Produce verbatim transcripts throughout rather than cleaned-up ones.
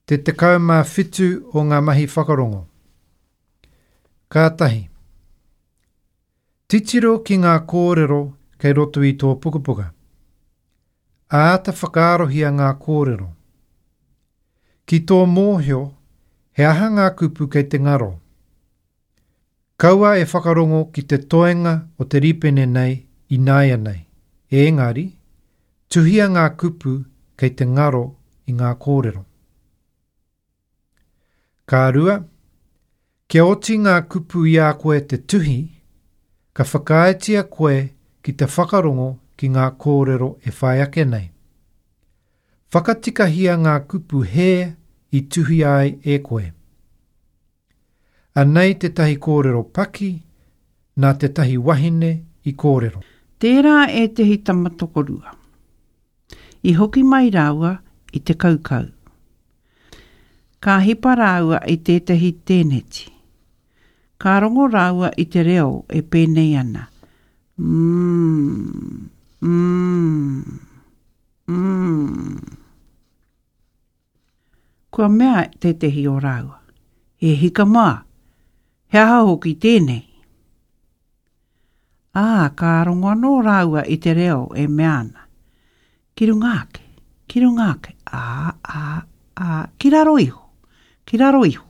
Te tekau mā whitu o ngā mahi whakarongo. Ka tahi. Titiro ki ngā kōrero kei roto i tō pukapuka. Āta whakaarohia ngā kōrero. Ki tō mōhio, he aha ngā kupu kei te ngaro. Kaua e whakarongo ki te toenga o te rīpene nei ināianei. Engari, tuhia ngā kupu kei te ngaro i ngā kōrero. Ka rua, kia oti ngā kupu i a koe te tuhi, ka whakaaetia koe ki te whakarongo ki ngā kōrero e whai ake nei. Whakatikahia ngā kupu hē i tuhi ai e koe. Anei tētahi kōrero paki, nā tētahi wahine i kōrero. Tērā ētehi tama tokorua. I hoki mai rāua i te kaukau. Ka hipa rāua i tētahi tēneti. Ka rongo rāua i te reo e pēnei ana. Mm, mm, mm. Kua mea tētehi o rāua. E hika mā, he aha hoki tēnei? Ā, ka rongo anō rāua i te reo e mea ana. Ki runga ake, ki runga ake, ā, ā, ā, ki raro iho, ki raro iho.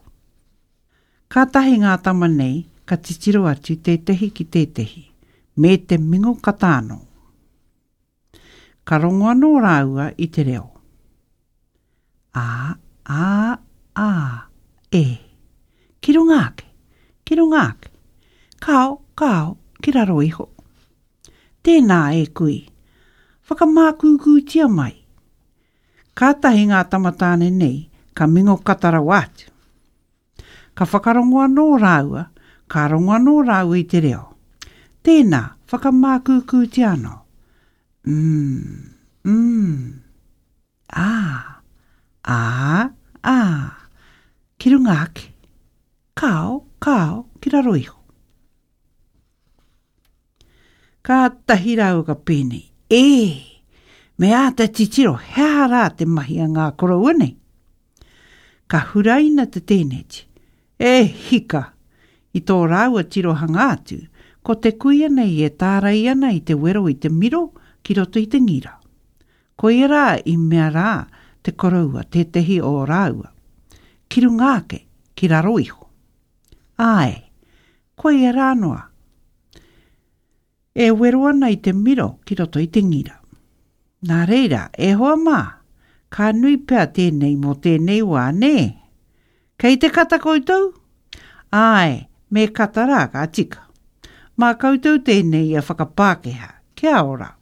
Kātahi ngā tama nei ka titiro atu tētehi ki tētehi, me te mingo kata anō. Ka rongo anō rāua i te reo. Ā, ā, ā, e. Ki runga ake, ki runga ake. Kāo, kāo, ki raro iho. Tēnā e kui, whakamākūkūtia mai. Kātahi ngā tamatāne nei ka mingo kata rawa atu. Ka whakarongo anō rāua, ka rongo anō rāua i te reo. Tēnā, whakamākūkūtia anō. Mm, mm, ā, ā, ā, ki runga ake. Kāo, kāo, ki raro iho. Kātahi rāua ka pēnei. E, me āta titiro, he aha rā te mahi a ngā koroua nei? Ka huraina te tēneti. E hika! I tō rāua tirohanga atu, ko te kuia nei e tārai ana i te wero i te miro ki roto i te ngira. Koia rā i mea rā te koroua tētehi o rāua. Ki runga ake, ki raro iho. Āe, koia rā noa. E wero ana i te miro ki roto i te ngira. Nā reira, e hoa mā, ka nui pea tēnei mō tēnei wā, nē? Kei te kata koutou? Āe, me kata rā ka tika. Mā koutou tēnei e whakapākehā. Kia ora.